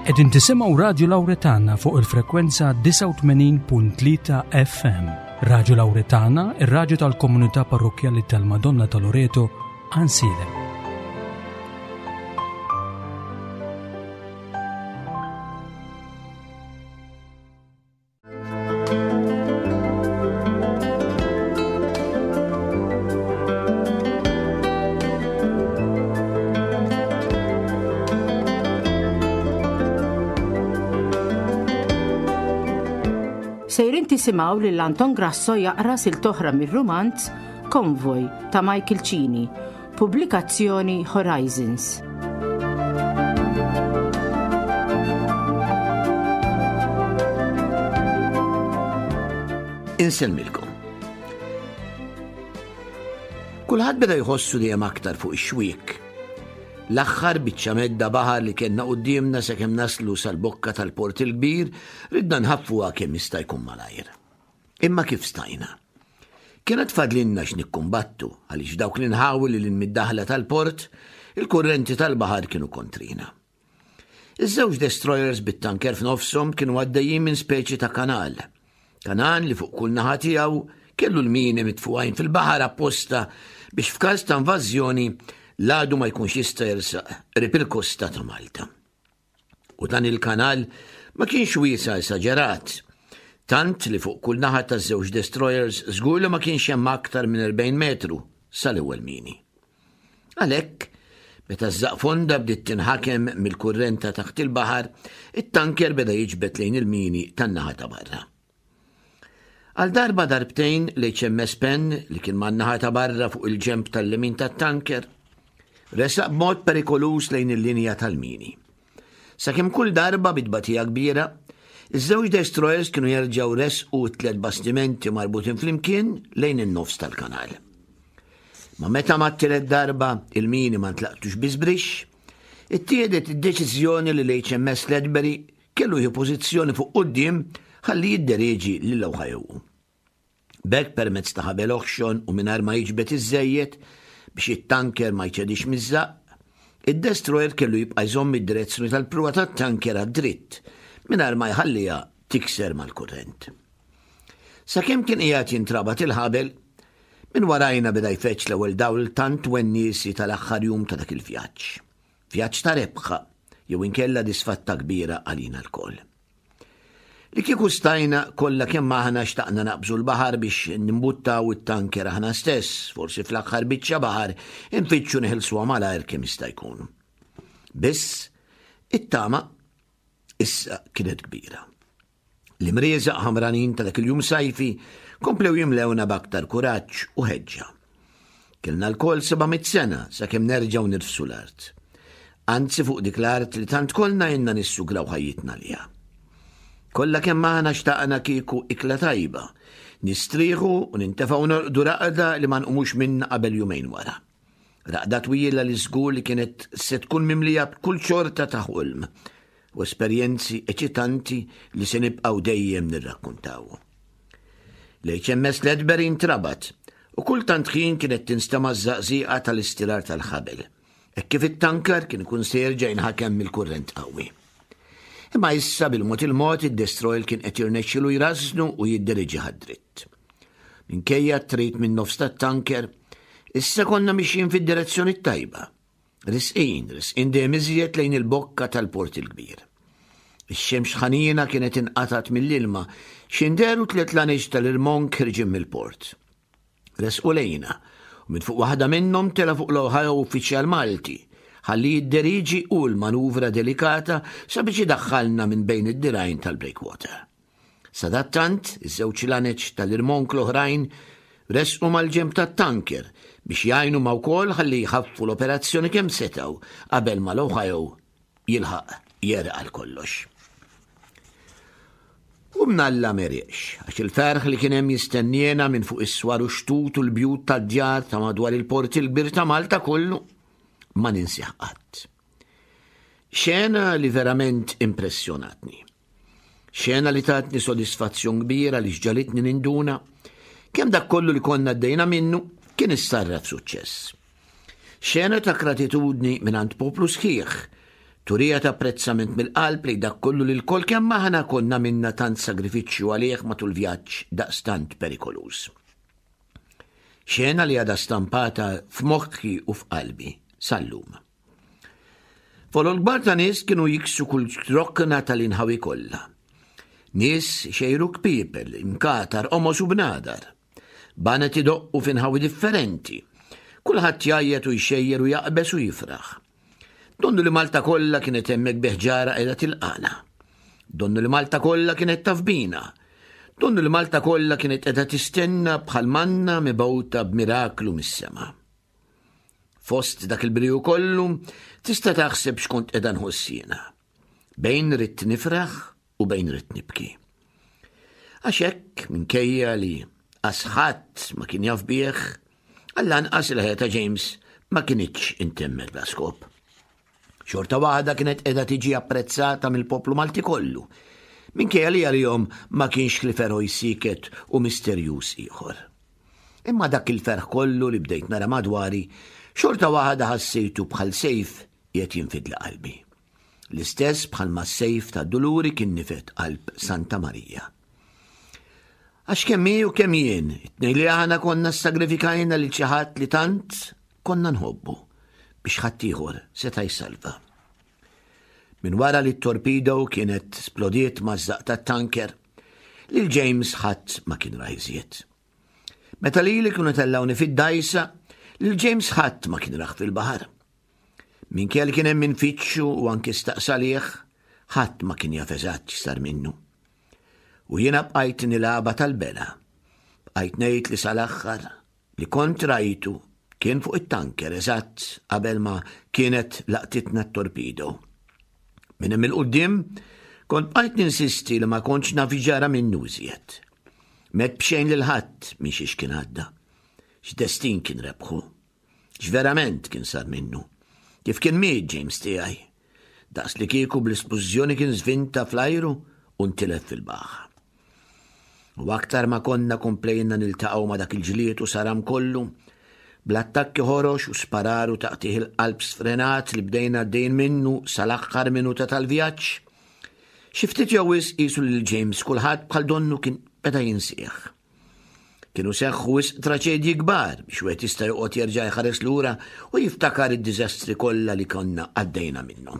Qegħdin tisimgħu Radju Lawretana fuq il-frekwenza 89.3 FM. Radju Lawretana, ir-radju tal-komunità parrokkjali tal-Madonna ta' Loreto, Ansilem. Sejrin tisimgħu lil Anton Grasso jaqra silta oħra mir-rumanz Konvoj ta' Michael Cini, pubblikazzjoni Horizons. Insellmilkom. Kulħadd beda jħossu dejjem aktar fuq ix-xwiek. L-aħħar biċċa medda baħar li kellna quddiemna sakemm naslu sal-bokka tal-Port il-Kbir ridna nħaffuha kemm jista' jkun malajr. Imma kif stajna? Kienet fadlinna x'nikkumbattu għaliex f'dawk l-inħawi li lil mid-daħla tal-port, il-kurrenti tal-baħar kienu kontrina. Iż-żewġ destroyers bit-tanker f'nofshom kienu għaddejjin minn speċi ta' kanal. Kanal li fuq kull naħa tiegħu kellu l-mini mitfugħin fil-baħar apposta biex f'każ ta' invażjoni l-għadu ma jkunx jista' jersaq qrib il-kosta ta' Malta. U dan il-kanal ma kienx wiesa' esaġerat, tant li fuq kull naħa taż-żewġ destroyers żgur li ma kienx hemm aktar minn 40 metru sal-ewwel mini. Għalhekk, meta ż-żaqfonda bdiet tinħakem mill-kurrent ta' taħt il-baħar, it-tanker beda jiġbed lejn il-mini tan-naħa ta' barra. Għal darba darbtejn l-HMS Penn li kien man-naħa ta' barra fuq il-ġenb tal-lemin tat-tanker, resaq b'mod perikoluż lejn il-linja tal-mini. Sakemm kull darba bi tbatija kbira, iż-żewġ destroyers kienu jerġgħu resqu t-tlet bastimenti marbutin flimkien lejn in-nofs tal-kanal. Ma meta mat-tielet darba il-mini ma ntlaqtux bi żbrixx, ittieħdet id-deċiżjoni li l-HMS Ledbury kellu jieħu pożizzjoni fuq quddiem ħalli jidderieġi lil Ohio. B'hekk permezz ta' ħabel oħxon u mingħajr ma jiġbed iżżejjed biex it-tanker ma jċedix miż-żaqq, id-destroyer kellu jibqa' jżomm id-direzzjoni tal-pruwa tat-tanker għad-dritt mingħajr ma jħalliha tikser mal-kurrent. Sakemm kien qiegħed jintrabat il-ħabel, minn warajna beda jfeġġ l-ewwel dawl tant wenniesi tal-aħħar jum ta' dak il-vjaġġ. Vjaġġ ta' rebħa jew inkella disfatta kbira għalina lkoll. Li kieku stajna kollha kemm aħna xtaqna naqbżu l-baħar biex nimbuttaw it-tanker aħna stess, forsi fl-aħħar biċċa baħar infittxu neħilsuha malajr kemm jista' jkun. Biss, it-tama issa kienet kbira. L-imrieżaq ħamranin ta' dak il-jum sajfi komplew jimlewna b'aktar kuraġġ u ħeġġa. Kellna lkoll 700 sena sakemm nerġgħu nirfsu l-art. Anzi fuq dik l-art li tant kollna ilna nissugraw ħajjitna għaliha. Kollha kemm aħna xtaqna kieku ikla tajba, nistrieħu u nintefgħu norqdu raqda li ma nqumux minnha qabel jumejn wara. Raqda twila li żgur li kienet se tkun mimlija b'kull xorta ta' ħolm u esperjenzi eċitanti li se nibqgħu dejjem nirrakkuntaw. L-HMS Ledbury intrabat u kull tant ħin kienet tinstema' ż-żaqżiqa tal-istirar tal-ħabel, hekk kif it-tanker kien ikun se jerġa' jinħakem mill-kurrent qawwi. Imma issa bil-mod il-mod id-destroyer kien qed jirnexxilu jrażżnu u jiddiriġih għad-dritt. Minkejja t-trid min-nofs tat-tanker, issa konna mixjin fid-direzzjoni t-tajba. Risqin, risqin dejjem iżjed lejn il-bokka tal-Port il-Kbir. Ix-xemx ħanina kienet inqatgħet mill-ilma x'inderu tliet laneġ tal-irmonk ħirġin mill-port. Resqu lejna, u minn fuq waħda minnhom tela' fuq l-Ohio uffiċjal Malti, ħalli jidderiġi hu l-manuvra delikata sabiex idaħħalna minn bejn id-dirgħajn tal-breakwater. Sadattant, iż-żewġ laneċ tal-irmonk l-oħrajn resqu mal-ġenb tat-tanker biex jgħinu ma wkoll ħalli jħaffu l-operazzjoni kemm setgħu qabel ma l-Ohio jilħaq jegħreq għal kollox. U mnalla m'għeriqx, għax il-ferħ li kien hemm jistenniena minn fuq is-swar u x-xtut u l-bjut tad-djar ta' madwar il-port il-kbir ta' Malta kollu ma ninsih qatt. Xena li verament impressjonatni. Xena li tatni sodisfazzjon kbir għaliex ġalitni ninduna kemm dak kollu li konna għaddejna minnu kien issarraf f'suċċess. Xena ta' gratitudni mingħand poplu sħiħ. Turija ta' apprezzament mill-qalb lejn dak kollu li lkoll kemm aħna konna għamilna tant sagrifiċċju għalih matul vjaġġ daqstant perikoluż. Xena li għadha stampata f'moħħi u f'qalbi sal-lum. Folol kbar ta' nies kienu jiksu kull rokna tal-inħawi kollha. Nies xejru kpiepel, imkatar, omos u bnadar. Banet idoqqu f'inħawi differenti. Kulħadd jgħajjat u jxejjer u jaqbeż u jifraħ. Donnu li Malta kollha kienet hemmhekk bi ħġara qiegħda tilqana. Donnu li Malta kollha kienet taf bina. Donnu li Malta kollha kienet qiegħda tistenna bħal manna mibgħuta b'miraklu mis-sema. Fost dak il-briju kollu, tista' taħseb x'kont qiegħda nħoss jiena. Bejn ridt nifraħ u bejn ridt nibki. Għax hekk minkejja li asħadd ma kien jaf bih, għall-anqas il-ħajja ta' James ma kinitx intemmet bla skop. Xorta waħda kienet qiegħda tiġi apprezzata mill-poplu Malti kollu, minkejja li għalihom ma kienx li feroj siket u misterjuż ieħor. Imma dak il-ferħ kollu li bdejt nara madwari, xorta waħda ħassejtu bħal sejf qiegħed jinfidli qalbi. L-istess bħalma s-sejf tad-duluri kien nifed qalb Santa Marija. Għax kemm hi u kemm jien, it-tnejn li aħna konna ssagrifikajna lil xi ħadd li tant konna nħobbu biex ħaddieħor seta' jsalva. Minn wara li t-torpedo kienet splodiet maż-żaq tat-tanker, lil James ħadd ma kien ra iżjed. Meta lili kienu tellgħuni fid-dgħajsa, lil James ħadd ma kien rah fil-baħar. Minkejja li kien hemm min fittxu u anki staqsa għalih, ħadd ma kien jaf eżatt x'sar minnu. U jiena bqajt nilgħabha tal-bela. Bqajt ngħid li sal-aħħar li kont rajtu kien fuq it-tanker eżatt qabel ma kienet laqtitna t-torpedo. Minn hemm il-quddiem kont bqajt ninsisti li ma kontx naf x'ġara minnu iżjed. M'għedt b'xejn lil ħadd minn xiex kien għadda. X'destin kien rebħu. X'verament kien sar minnu? Kif kien miet James tiegħi? Daqs li kieku bl-isplużjoni kien żvinta fl-ajru u ntilef fil-baħar. U aktar ma konna komplejna niltaqgħu ma' dak il-ġlied u saram kollu, bl-attakki ħorox u sparar u taqtigħ il-qalb sfrenat li bdejna għaddejjin minnu sal-aħħar minuta tal-vjaġġ, xi ftit jew wisq qisu lil James kulħadd bħal donnu kien beda jinsieħ. Kienu seħħu wisq traċedji kbar biex wieħed jista' joqgħod jerġa' jħares lura u jiftakar id-diżastri kollha li konna għaddejna minnhom.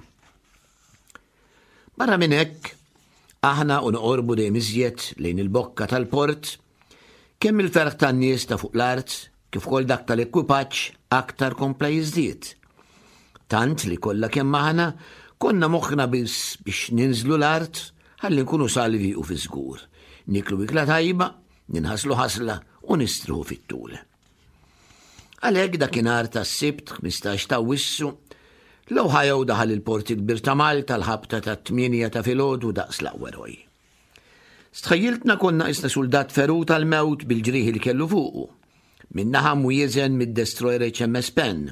Barra minn hekk, aħna u noqorbu dejjem iżjed lejn il-bokka tal-port, kemm il-ferħ tan-nies ta' fuq l-art kif ukoll dak tal-ekwipaġġ aktar kompla jiżdied. Tant li kollha kemm aħna konna moħħna biss biex ninżlu l-art ħalli nkunu salvi u fiż-żgur, nieklu ikla tajba, ninħaslu ħasla u nistrieħu fit-tul. Għalhekk dakinhar tas-Sibt 15 ta' Awwissu, l-Ohio daħal il-Port il-Kbir ta' Malta l-ħabta tat-tmienja ta' filgħodu daqs l-aqwa eroj. Stħajjiltna konna qisna suldat ferut għall-mewt bil-ġrieħi li kellu fuqu. Min-naħa mwieżen mid-destroyer HMS Penn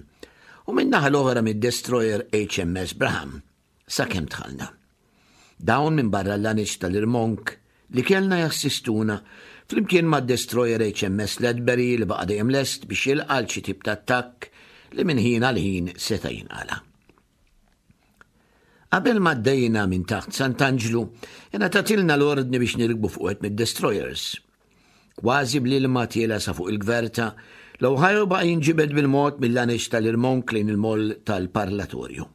u min-naħa l-oħra mid-destroyer HMS Braham sakemm dħalna. Dawn minbarra l-laneċ tal-irmonk li kellna jassistuna flimkien mad-destroyer HMS Ledbury li baqa' dejjem lest biex jilqa' għal xi tip ta' attakk li minn ħin għal ħin seta' jinqala'. Qabel ma għaddejna minn taħt Sant'Anġlu, ingħatatilna l-ordni biex nirkbu fuq wieħed mid-destroyers. Kważi bl-ilma tiela' sa fuq il-gverta, l-Ohio baqa' jinġibed bil-mod mill-laneċ tal-irmonk lejn il-moll tal-parlatorju.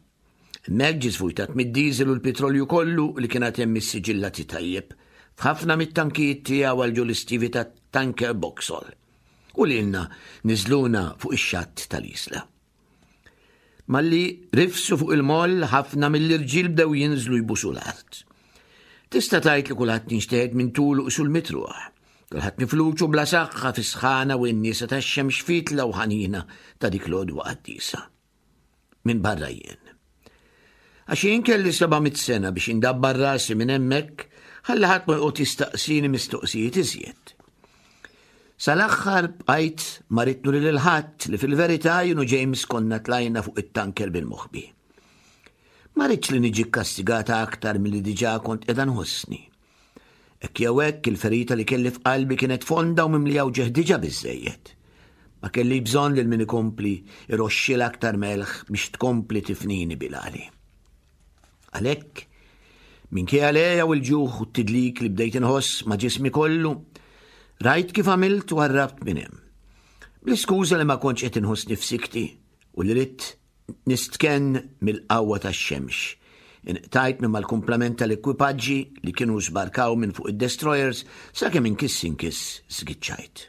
Hemmhekk ġie svujtat mid-diesel u l-pitrolju kollu li kien għad hemm issiġillati tajjeb f'ħafna mit-tankijiet tiegħu għal ġol-istivi tat-tanker Boxall u lilna niżluna fuq ix-xatt tal-Isla. Malli rifsu fuq il-moll ħafna mill-irġiel bdew jinżlu jbusu l-art. Tista' tgħid li kulħadd inxteħet minn tulu qisu l-mitruħ. Kulħadd mifluġ u bla saħħa fis-sħana u n-niesa tax-xemx fitla u ħanina ta' dik l-għodwa qaddisa. Minbarra jien. Għax jien kelli 700 sena biex indabbar rasi minn hemmhekk ħalli ħadd ma joqgħod jistaqsini mistoqsijiet iżjed. Sal-aħħar bqajt ma ridt nuri lil ħadd li fil-verità jien u James konna tlajna fuq it-tanker bil-moħbi. Ma ridtx li niġi kkastigata aktar milli diġà kont qiegħda nħossni. Hekk jew hekk il-ferita li kelli f'qalbi kienet fonda u mimlija wġigħ diġà biżżejjed. Ma kellix bżonn lil min ikompli iroxxilha aktar melħ biex tkompli tifnini bil-għali. Għalhekk, minkejja l-għeja u l-ġuħ u t-tidlik li bdejt inħoss ma' ġismi kollu, rajt kif għamilt u għarrabt minn hemm. Bl-iskuża li ma kontx qed inħossni f'sikti u li ridt nistkenn mill-qawwa tax-xemx. Inqtajt minn mal-kumplament tal-ekwipaġġi li kienu żbarkaw minn fuq id-destroyers sakemm inkiss inkiss żgiċċajt.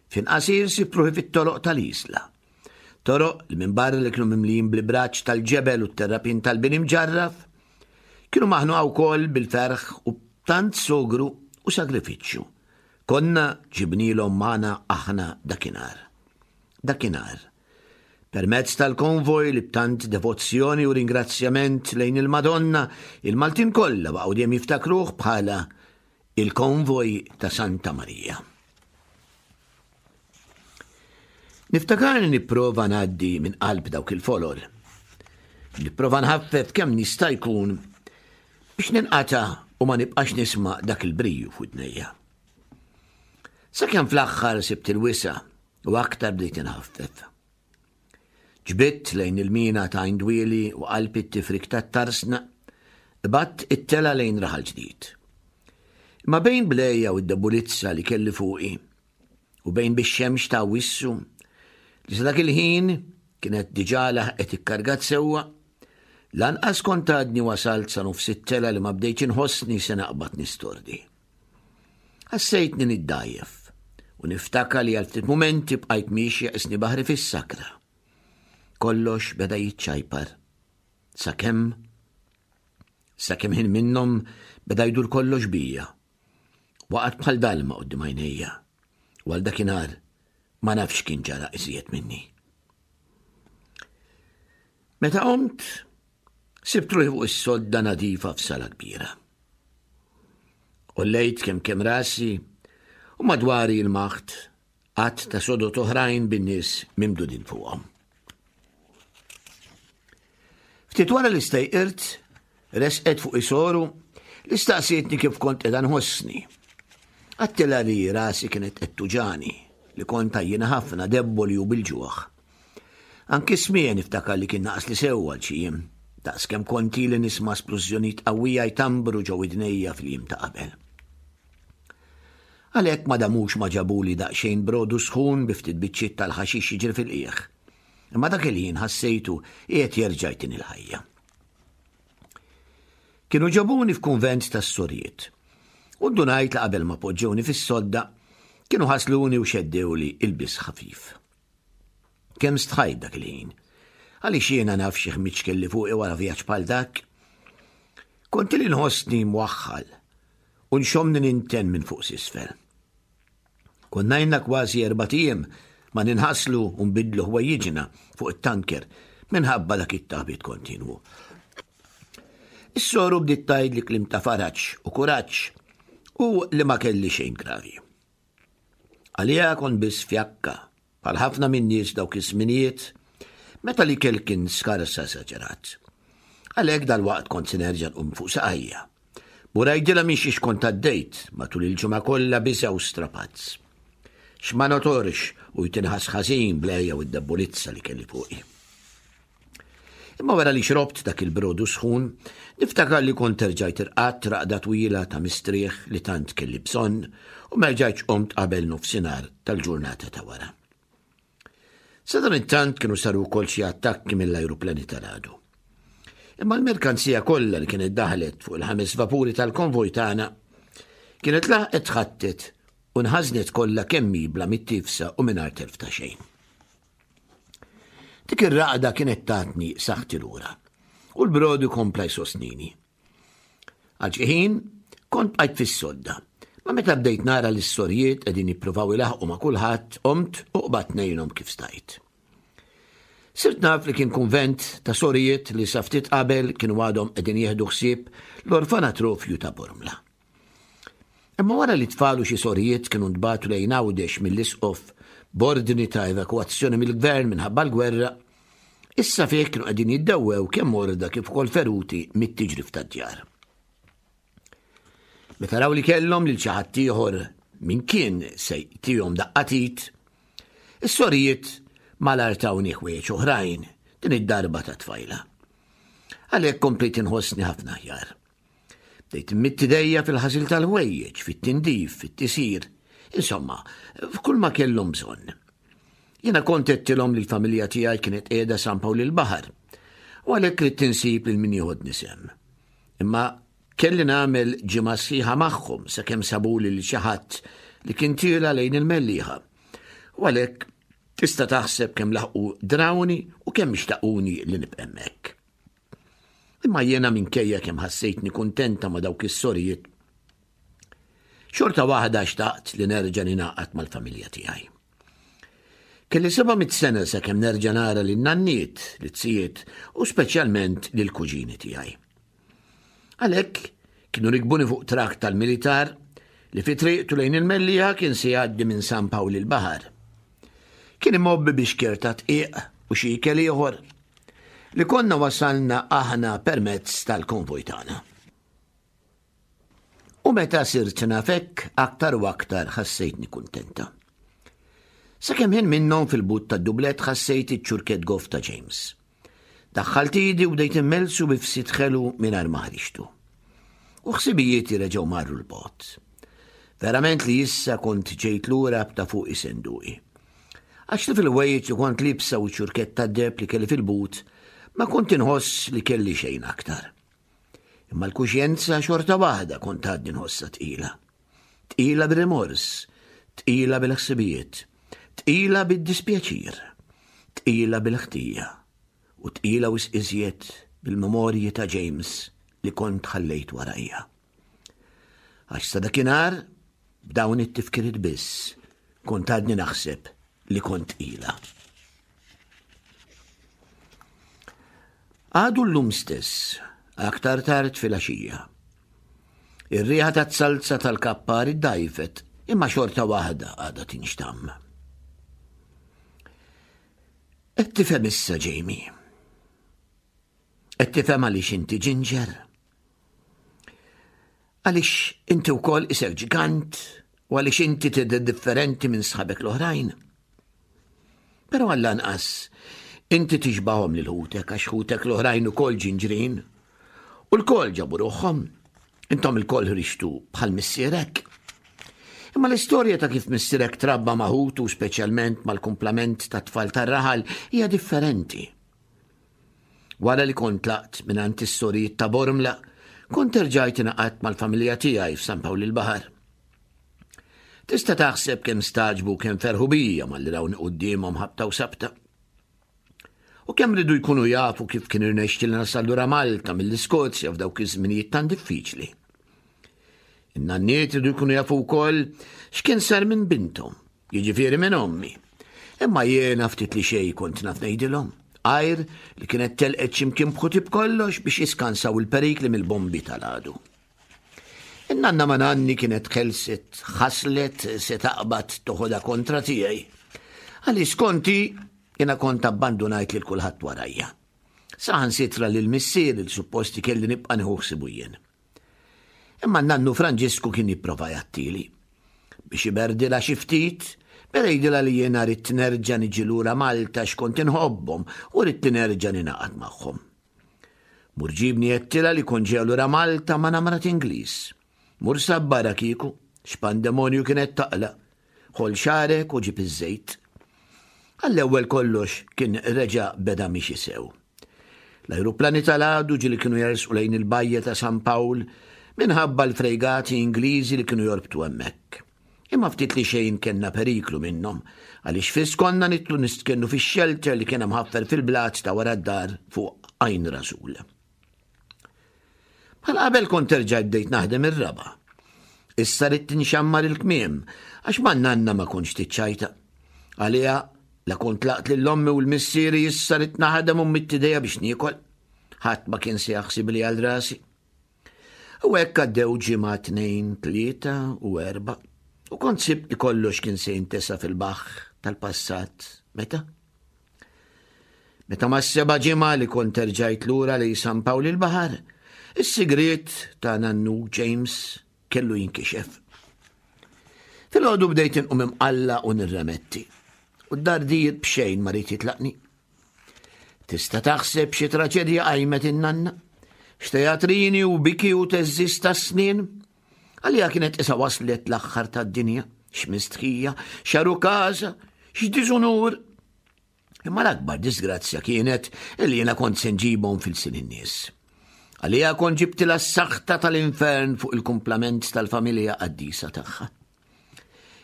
F'ħin qasir sibt ruħi fit-toroq tal-Isla. Toroq li minbarra li kienu mimlijin bl-ibraġġ tal-ġebel u t-terrapien tal-bini mġarraf, kienu maħnuqa wkoll bil-ferħ u b'tant sogru u sagrifiċċju. Konna ġibnielhom magħna aħna dakinhar. Dakinhar. Permezz tal-konvoj li b'tant devozzjoni u ringrazzjament lejn il-Madonna, il-Maltin kollha baqgħu dejjem jiftakruh bħala il-konvoj ta' Santa Marija. Niftakarni nipprova ngħaddi minn qalb dawk il-folol. Nipprova nħaffef kemm nista' jkun biex ninqata' u ma nibqax nisma' dak il-briju f'widnejja. Sakemm fl-aħħar sibt il-wisa' u aktar bdejt inħaffef. Ġbidt lejn il-mina ta' Għajn Dwieli u qalb it-tifrik tat-Tarsna, qbadt it-telgħa lejn Raħal Ġdid. Imma bejn bl-għeja u d-debulizza li kelli fuqi, u bejn bix-xemx ta' Awwissu, li sa dak il-ħin kienet diġà laħqet ikkargat sewwa, lanqas kont għadni wasalt sa nofs it-telgħa li ma bdejtx inħossni se naqbad nistordi. Ħassejtni niddgħajjef u niftakar li għal ftit mumenti bqajt miexja qisni baħri fis-sakra. Kollox beda jiċċajpar. Sakemm sakemm ħin minnhom beda jdur kollox bija. Waqgħet bħal dalma quddiem għajnejja. U għal dakinhar ma nafx kien ġara iżjed minni. Meta qomt, sibt ruħi fuq is-sodda nadifa f'sala kbira. Qollejt kemm kemm rasi u madwari il-maħt għadd ta' sodod oħrajn bin-nies mimdudin fuqhom. Ftit wara li stejqirt, resqet fuq isoru li staqsietni kif kont qiegħda nħossni. Għattilha li rasi kienet qed tuġani, li kont għajjiena ħafna, debboli u bil-ġuħ. Anki smigħi niftakar li kien naqasli sew għal xi jiem, daqs kemm kont ili nisma' splużjonijiet qawwija jtambru ġo widnejja fil-jiem ta' qabel. Għalhekk ma damux ma ġabuli daqsxejn brodu sħun bi ftit biċċiet tal-ħaxix jiġri fil-qiegħ. Imma dak il-ħin ħassejtu qiegħed jerġa' jtini l-ħajja. Kienu ġabuni f'kunvent tas-sorijiet. U ndunajt li qabel ma poġġewni fis-sodda, kienu ħasluni u xeddewli ilbies ħafif. Kemm stħajt dak il-ħin. Għaliex jiena naf xi ħmiġ kelli fuqi wara vjaġġ bħal dak. Kont li nħossni mwaħħal u nxommni ninten minn fuq s'isfel. Konna ilna kważi erbat ijiem ma ninħaslu u nbiddlu ħwejjiġna fuq it-tanker minħabba dak it-taħbit kontinwu. Is-soru bdiet tgħidli kliem ta' faraġ u kuraġġ u li ma kelli xejn gravi. Għaliha kont biss fjakka, bħal ħafna min-nies dawk iż-żminijiet, meta l-ikel kien skars esaġerat. Għalhekk dalwaqt kont se nerġa' nqum fuq saqajja. Mur għidilha minn xiex kont għaddejt matul il-ġimgħa kollha biża' u strapazz. X'ma notorx u jtinħass ħażin bl-għeja u d-debbulizza li kelli fuqi. Imma wara li xrobt dak il-brodu sħun, niftakar li kont erġajt irqadt raqda twila ta' mistrieħ li tant kelli bżonn u ma rġajtx qomt qabel nofsinhar tal-ġurnata ta' wara. Sadanittant kienu saru wkoll xi attakki mill-ajruplani tal-għadu. Imma l-merkanzija kollha li kienet daħlet fuq il-ħames vapuri tal-konvoj tagħna kienet laħqet tħattet u nħażnet kollha kemm hi bla mittifsa u mingħajr telf ta' xejn. Dik ir-raqda kienet tatni saħħti lura u l-brodu kompla jsostnini. Għal xi ħin kont bqajt fis-sodda, ma meta bdejt nara li s-sorjiet qegħdin jippruvaw ilaħqu ma' kulħadd, qomt u qbadt ngħinhom kif stajt. Sirt naf li kien kunvent ta' sorijiet li sa ftit qabel kienu għadhom qegħdin jieħdu ħsieb l-orfanatrofju ta' Bormla. Imma wara li tfal u xi sorijiet kienu ntbagħtu lejn Għawdex mill-Isqof b'ordni ta' evakwazzjoni mill-Gvern minħabba l-gwerra, issa fih kienu qegħdin jiddewwew kemm morda kif ukoll feruti mit-tiġrif tad-djar. Meta raw li kellhom lil xi ħadd ieħor min kien se jtihom daqqa t'id, is-sorijiet malajr tawni ħwejjeġ oħrajn, din id-darba ta' tfajla. Għalhekk komplejt inħossni ħafna aħjar. Bdejt immitt idejja fil-ħasil tal-ħwejjeġ, fit-tindif, fit-tisir, insomma, f'kull ma kellhom bżonn. Jiena kont għedtilhom li l-familja tiegħi kienet qiegħda San Pawl il-Baħar u għalhekk ridt insib lil min jieħodni sehem. Imma kelli nagħmel ġimgħa sħiħa magħhom sakemm sabuli lil xi ħadd li kien tiela lejn il-Mellieħa. U għalhekk tista' taħseb kemm laħqu drawni u kemm xtaquni li nibqa' hemmhekk. Imma jiena minkejja kemm ħassejtni kuntenta ma' dawk is-sorijiet, xorta waħda xtaqt li nerġa' ningħaqad mal-familja tiegħi. Kelli 700 sena sakemm nerġa' nara lin nanniet, lit-zijiet u speċjalment lil kuġini tiegħi. Għalhekk kienu rikbuni fuq trakk tal-militar li fi triqtu lejn il-Mellieħa kien se jgħaddi minn San Pawl il-Baħar. Kien imgħobbi bi xkier ta' tqiq u xi ikel ieħor li konna wasalna aħna permezz tal-konvoj tagħna. U meta sirt naf hekk aktar u aktar ħassejtni kuntenta. Sakemm ħin minnhom fil-but tad-dublett ħassejt iċ-ċurkett goff ta' James. Daħħalt idi u bdejt immellsu bi fsit ħelu mingħajr ma ħriġtu. U ħsibijieti reġgħu marru 'l bogħod. Verament li issa kont ġejt lura b'ta' fuqi senduqi. Għax li fil-ħwejjeġ li kont liebsa u ċ-ċurkett tad-deheb li kelli fil-but, ma kont inħoss li kelli xejn aktar. Imma l-kuxjenza xorta waħda kont għadni nħossha tqila. Tqila bir-rimors, tqila bil-ħsibijiet, tqila bid-dispjaċir, tqila bil-ħtija u tqila wisq iżjed bil-memorji ta' James li kont ħallejt warajja. Għax sa dakinhar b'dawn it-tifkiriet biss kont għadni naħseb li kont tqila. Għadu llum stess, aktar tard filgħaxija. Ir-riħa taz-zalza tal-kappar iddgħajfet, imma xorta waħda għadha tinxtamm. Qed tifhem issa, Jamie? Qed tifhem għaliex inti ġinġer? Għaliex inti wkoll isek ġigant u għaliex inti tidher differenti minn sħabek l-oħrajn? Però għall-anqas inti tixbahom lil ħutek għax ħutek l-oħrajn ukoll ġinġrin. U lkoll ġabu ruħhom. Intom ilkoll ħriġtu bħal missierek. Imma l-istorja ta' kif missierek trabba ma' ħutu speċjalment mal-kumplament ta' tfal tar-raħal hija differenti. Wara li kont tlaqt mingħand is-sorijiet ta' Bormla, kont erġajt ingħaqadt mal-familja tiegħi f'San Pawl il-Baħar. Tista' taħseb kemm stagħġbu kemm ferħu bija malli rawni quddiemhom ħabta u sabta. U kemm ridu jkunu jafu kif kien irnexxieli nasal lura Malta mill-Iskozja f'dawk iż-żminijiet tant diffiċli. In-nanniet ridu jkunu jafu wkoll x'kien sar minn binthom, jiġifieri minn ommi. Imma jiena ftit li xejn kont naf ngħidilhom, għajr li kienet telqet x'imkien b'ħuti b'kollox biex jiskansaw il-perikli mill-bombi tal-għadu. In-nanna ma' nanni kienet ħelset, ħaslet se taqbad toħodha kontra tiegħi. Għaliex skonti jiena kont abbandunajt lil kulħadd warajja. Saħansitra lil missieri li supposti kelli nibqa' nieħu ħsibu jien. Imma n-nannu Franġisku kien jipprova jgħattili. Biex iberdilha xi ftit, beda jgħidilha li jiena ridt nerġa' niġi lura Malta x'kont inħobbhom u ridt li nerġa' ningħaqad magħhom. Mur ġibni għedtilha li kont ġejja lura Malta ma' namrat Ingliż. Mur sabbarha kieku, x'pandemonju kienet taqla'. Ħoll xagħrek u ġib iż-żejt. Għall-ewwel kollox kien reġa' beda miexi sew. L-ajruplani tal-għadu ġieli kienu jersqu lejn il-bajja ta' San Pawl minħabba l-frejgati Ingliżi li kienu jorbtu hemmhekk. Imma ftit li xejn kellna periklu minnhom, għaliex fiss konna nidħlu nistkennu fix-xelter li kien imħaffer fil-blat ta' wara d-dar fuq Għajn Rasul. Bħal qabel kont erġajt bdejt naħdem ir-raba'. Issa ridt inxammar il-kmiem għax ma' nanna ma kontx tiċċajta. Għaliha la kont tlaqt lil ommi u l-missieri issa ridt naħdem u mmidd idejja biex niekol. Ħadd ma kien se jaħsibli għal rasi. U hekk għaddew ġimgħa, tnejn, tlieta u erbgħa. U kont sibt li kollox kien se jintesa fil-baħħ tal-passat. Meta? Meta mas-seba' ġimgħa li kont erġajt lura lejn San Pawl il-Baħar, is-sigriet ta' nannu James kellu jinkixef. Filgħodu bdejt inqum imqalla u nirremetti. U d-dardir b'xejn ma ried jitlaqni. Tista' taħseb xi traċedja qajmet in-nanna? X'teatrini u biki u teżżis tas-snien? Għalija kienet isa waslet l-aħħar tad-dinja, x'mistħija, x'arukaża, x'diżunur. Imma l-akbar disgrazzja kienet li jiena kont se nġibhom fil-sin in-nies. Għalija kont ġibtilha s-saħta tal-infern fuq il-kumplament tal-familja qaddisa tagħha.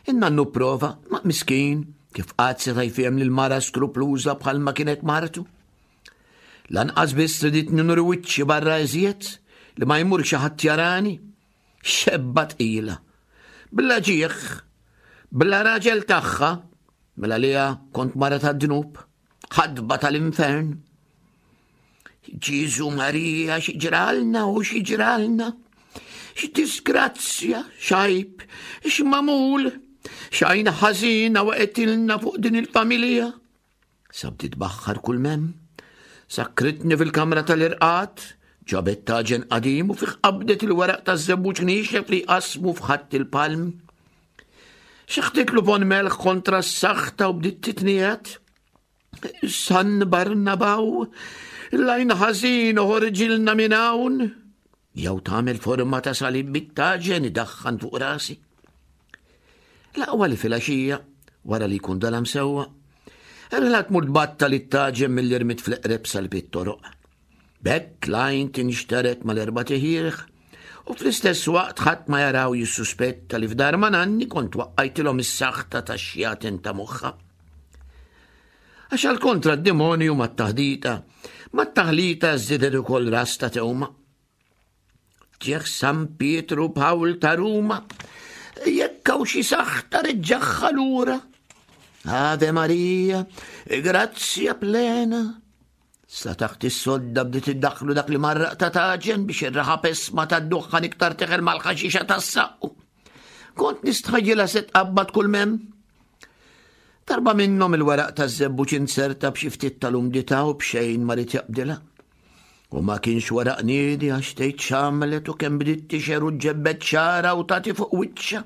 In-nannu prova, ma miskin, kif qatt seta' jfiem lil mara skrupluża bħalma kienet martu. Lanqas biss riditni nuri wiċċi barra iżjed li ma jmur xi ħadd jarani. Xebba tqila. Bla ġieħ, bla raġel tagħha, mela liha kont mara tad-dnub, ħadba tal-infern. Ġiżu Marija xi ġralna u xi ġralna. X'disgrazzja, x'għajb, x'magħmul, x'għajn ħażina waqgħetilna fuq din il-familja. Sa bdiet tbaħħar kull mem. Sakkritni fil-kamra tal-irqad, ġabet taġen qadim u fih qabdet il-weraq taż-żebbuġ niexef li jqassmu f'ħadd il-palm. Xeħtitlu pon melħ kontra s-saħta u bdiet titniet. San Barnabaw, l-għajn ħażin uħorġilna minn hawn. Jew tagħmel forma ta' salib bit-taġen idaħħan fuq rasi. L-aqwa li filgħaxija, wara li jkun dalam sewwa, erħla tmur tbattal it-taġen mill-irmit fl-eqreb salib it-toroq. B'hekk l-għajn tinxtered mal-erba' tiħieħ u fl-istess waqt ħadd ma jaraw jissuspetta li f'dar ma' nanni kont waqqajtilhom is-saħta tax-xjaten ta' moħħha. Għax għal kontra d-demonju mat-taħdita, mat-taħlita żiedet ukoll ras ta' tewma. Ġieħ San Pietru Pawl ta' Ruma, jekk hawn xi saħta reġġaħħa lura. Ave Maria, grazzja plena. Sa taħt is-sodda bdiet iddaħħlu dak li marraq ta' taġen biex ir-raħa pesma ta' duħħan iktar teħel mal-ħaxixa tas-saqqu. Kont nistħajjilha se tqabbad kull mem. Darba minnhom il-weraq taż-żebbuġ inzerta b'xi ftit tal-umdità u b'xejn ma ried jaqbdilha. U ma kienx weraq niedi għax tgħid x'għamlet u kemm bdiet tixer u ġġebbed xagħarha u tagħti fuq wiċċha.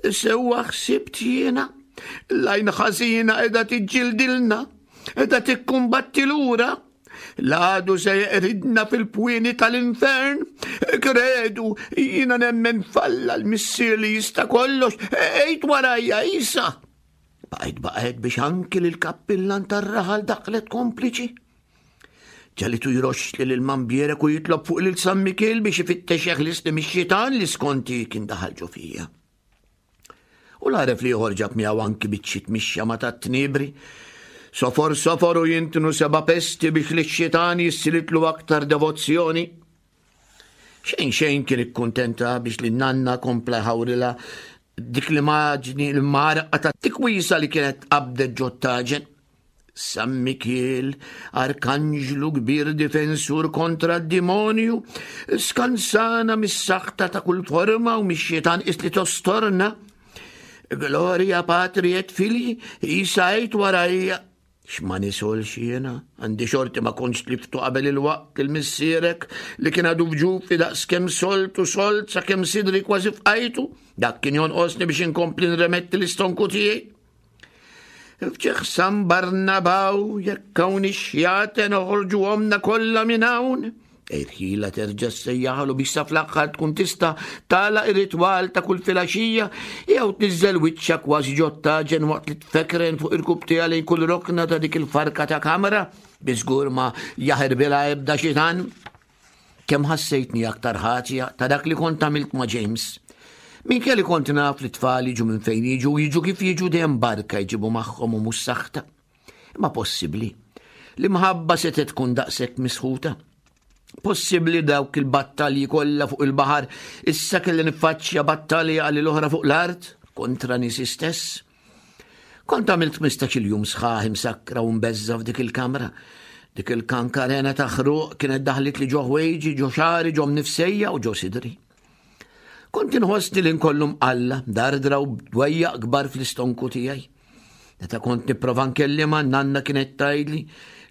Sewwa ħsibt jiena, l-għajn ħażina qiegħda tiġġildilna, qiegħda tikkumbatti lura. L-għadu se jeqridna fil-pwieni tal-infern. Kredu, jiena nemmen falla l-missier li jista' kollox, ejt warajja isa. Baqgħet baqgħet biex anki lill-kappillan tar-raħal daħlet kompliċi. Ġalitu jroxxli lil Mambierek u jitlob fuq lil San Mikiel biex ifittex jeħlisni mix-xitan li skonti kien daħal ġo fija. U l-għaref li ieħor ġab miegħu anki biċċiet mix-xama tat-tniebri. Sofor sofor u jintnu seba' pesti biex lix-xitan jissilitlu aktar devozzjoni. Xejn xejn kien ikkuntenta biex li nanna kompla jħawrilha dik l-immaġni l-marqa ta' tikwisa li kienet qabdet ġottaġen. San Mikiel, arkanġlu kbir difensur kontra d-dimonju, skansana mis-saħta ta' kull forma u mix-xitan is li tostorna. Gloria Patri et Fili, jisajt warajja. X'ma nisolx jiena, għandi xorti ma kontx tliftu qabel il-waqt il missierek li kien għadu f'ġufi daqs kemm solt u solt sakemm sidri kważi fqajtu, dak kien jonqosni biex inkompli nremetti l-istonku tiegħi. Fġieħ San Barnabaw, jekk hawn ix-xjaten oħorġuhomna kollha minn hawn. Irħila terġa' ssejjaħlu biex sa fl-aħħar tkun tista' tagħlaq ir-ritwal ta' kull filgħaxija jew tniżżel wiċċha kważi ġot-taġen waqt li tfekren fuq irkubtiha lejn kull rokna ta' dik il-farka ta' kamra bi żgur ma jaħirbilha ebda xitan. Kemm ħassejtni aktar ħatja ta' dak li kont għamilt ma' James. Minkejja li kont naf li t-tfal jiġu minn fejn jiġu, jiġu kif jiġu dejjem barka jġibu magħhom u mhux saħta. Imma possibbli li mħabba setgħet tkun daqshekk misħuta? Possibbli dawk il-battalji kollha fuq il-baħar issa kelli niffaċċja battalja għal l-oħra fuq l-art kontra nisi stess? Kont għamilt 15-il jum sħaħ imsakkra u mbeżża f'dik il-kamra. Dik il-kankarena ta' ħruq kienet daħlit li ġo ħwejġi, ġo xagħri, ġo mnifsejja u ġo sidri. Kont inħossni li nkollu mqalla, dardra u dwejjaq kbar fl-istonku tiegħi. Meta kont nipprova nkellimha, nanna kienet tgħidli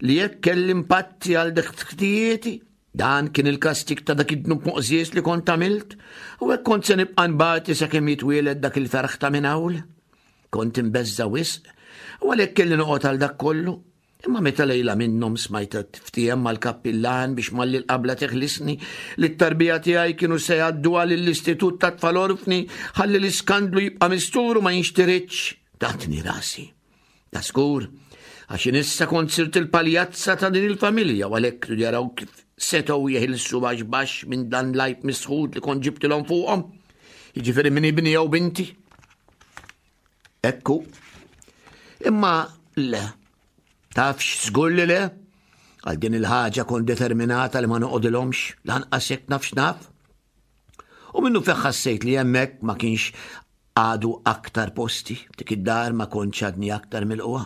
li jekk kelli mpatti għal dak ħtijieti, dan kien il-kastik ta' dak id-dnub moqżież li kont għamilt, u hekk kont se nibqa' nbati sakemm jitwieled dak il-ferħ ta' minn hawn. Kont imbeżża' wisq, u għalhekk kelli noqgħod għal dak kollu. Imma meta lejla minnhom smajtha tiftiehem mal-kappillan biex malli l-qabla teħlisni li t-tarbija tiegħi kienu se jgħadduha lill-istitut ta' tfal orfni ħalli l-iskandlu jibqa' mistur u ma jinxtiritx, tatni rasi. Ta' skur, għax issa kont sirt il-paljazza ta' din il-familja u għalhekk ridu jaraw kif setgħu jeħilsu baxx baxx minn dan l-għajb misħud li kont ġibtilhom fuqhom. Jiġifieri minn ibni jew binti. Ekku. Imma le. Tafx żgur li le? Għal din il-ħaġa kont determinata li ma noqogħdilhomx lanqas jekk nafx naf. U minnu feħ ħassejt li hemmhekk ma kienx għadu aktar posti, dik id-dar ma kontx għadni aktar mill-qwa.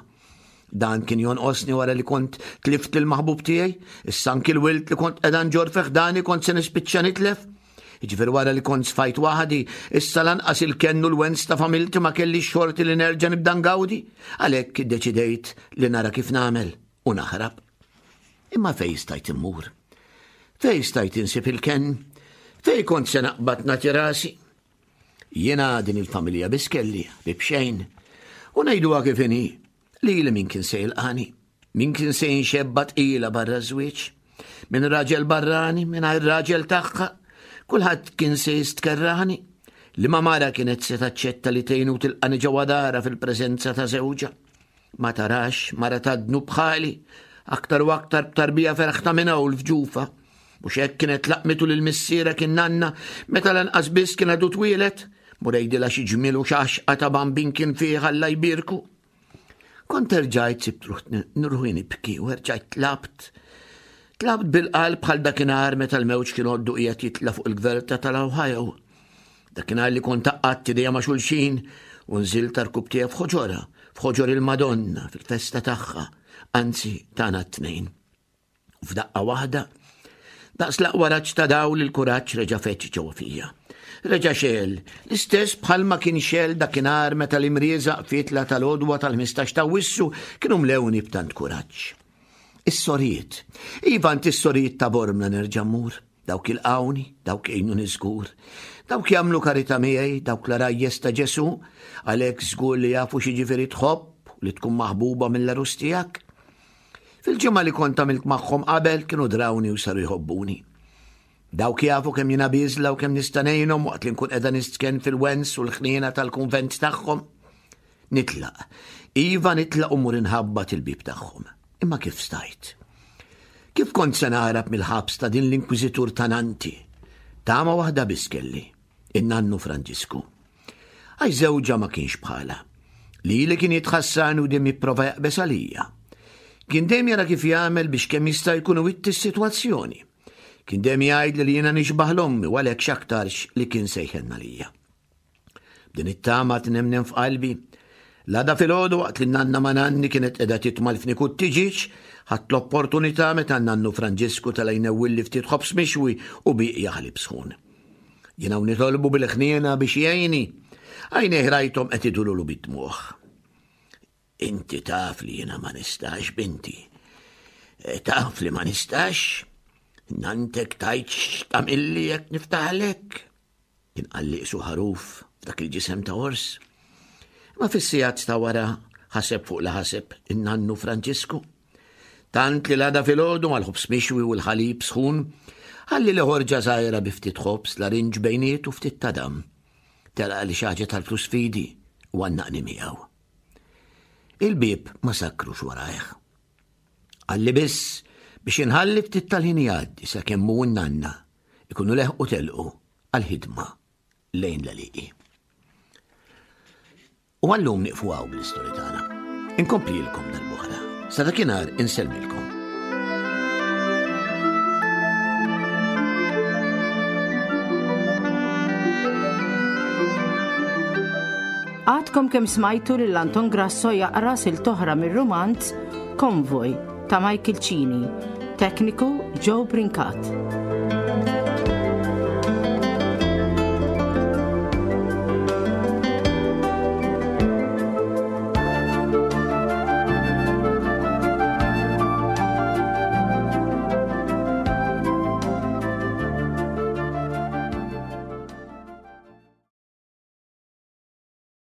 Dan kien jonqosni wara li kont tlift il-maħbub tiegħi, issa anki l-wilt li kont qiegħda nġorr fi ħdani kont se nispiċċa nitlef. Jiġifieri wara li kont sfajt waħdi, issa lanqas il-kenn u l-wens ta' familti ma kelli xorti li nerġa' nibda ngawdi, għalhekk iddeċidejt li nara kif nagħmel u naħrab. Imma fejn stajt immur? Fejn stajt insib il-kenn? Fejn kont se naqbad nagħti rasi? Jiena din il-familja biss kelli, ħbieb xejn. U ngħiduha kif inhi, lili min kien se jilqani, min kien se jinxebba tqila barra żwieġ, minn raġel barrani, mingħajr raġel tagħha, kulħadd kien se jistkerrani. Li ma mara kienet se taċċetta li tgħinu tilqani ġewwa dara fil-preżenza ta' żewġha. Ma tarax mara ta' dnub bħali, aktar u aktar b'tarbija ferħ ta' minn hawn f'ġufa. Mhux hekk kienet laqmitu lil missierek in-nanna meta lanqas biss kien għadu twieled, mur għidilha xi ġmiel u x'għaxqa ta' bambin kien fih Alla jbierku. Kont erġajt sibt ruħi nibki u erġajt tlabt. Tlabt bil-qalb bħal dakinhar meta l-mewġ kien għoddu qiegħed jitla' fuq il-gverta tal-Ohio. Dakinhar li kont għaqqadt idejja ma' xulxin u nżilt għar-rkub tiegħi f'ħoġorha, f'ħoġor il-Madonna, fil-festa tagħha, anzi tagħna t-tnejn. U f'daqqa waħda, daqs l-aqwa raġġ ta' dawl il-kuraġġ reġa' feġġ ġewwa fija. Reġa' xegħel, l-istess bħalma kien xegħel dakinhar meta l-imrieżaq fietla tal-għodwa tal-15 ta' Awwissu kienu mlewni b'tant kuraġġ. Is-sorijiet. Iva, għand is-sorijiet ta' Bormla nerġa' mmur. Dawk ilqgħuni, dawk jgħinuni żgur. Dawk jagħmlu karità miegħi, dawk l-għarajjes ta' Ġesù, għalhekk żgur li jafu x'jiġifieri tħobb u li tkun maħbuba mill-għarus tiegħek. Fil-ġimgħa li kont għamilt magħhom qabel kienu drawni u saru jħobbuni. Dawk jafu kemm jiena bieżla u kemm nista' ngħinhom waqt li nkun qiegħda nistkenn fil-wens u l-ħniena tal-kunvent tagħhom. Nitlaq. Iva nitlaq u mmur inħabbat il-bieb tagħhom. Imma kif stajt? Kif kont se naħrab mill-ħabs ta' din l-inkwiżitur ta' nanti? Tama waħda biss kelli, in-nannu Franġisku. Għax żewġha ma kienx bħala. Lili kien jitħassarni u dejjem jipprova jaqbeż għalija. Kien dejjem jara kif jagħmel biex kemm jista' jkun iwitti s-sitwazzjoni. Kien dejjem jgħidli li jiena nixbah l-ommi u għalhekk x'aktarx li kien se jħenn għalija. B'din it-tama tnemnem f'qalbi, l-għada filgħodu waqt li n-nanna ma' nanni kienet qiegħda titma' l-fniek u t-tiġieġ, ħadt l-opportunità meta n-nannu Franġisku tela' jnewwilli ftit ħobż mixwi u bieqja ħalib sħun. Jien hawn nitolbu bil-ħniena biex jgħinni. Għajnejh rajthom qed idululu bid-dmugħ. Inti taf li jiena ma nistax, binti. E, taf li ma nistax. Nantek tajt x'tamilli jekk niftaħlek. Kien qalli qisu ħaruf f'dak il-ġisem ta' ors. Ma fis-sigħat ta' wara ħaseb fuq li ħaseb in-nannu Franġisku. Tant li l-għada filgħodu mal-ħobż mixwi u l-ħalib sħun, ħalli li ħorġa żgħira bi ftit ħobż, larinġ bejniet u ftit tadam. Telaq li xi ħaġa tal-flus fidi u għannaqni miegħu. Il-bieb ma sakkrux warajh. Qalli biss biex inħalli ftit tal-ħin jgħaddi sakemm hu n-nanna ikunu leħqu telqu għall-ħidma lejn l-għelieqi. U għallum nieqfu hawn bl-istorja tagħna. Inkomplilkom darb'oħra. Sa dakinhar insellmilkom. Għadkom kemm smajtu lil Anton Grasso jaqra silta oħra mir-rumanz Konvoj ta' Michael Cini, tekniku Joe Brincat.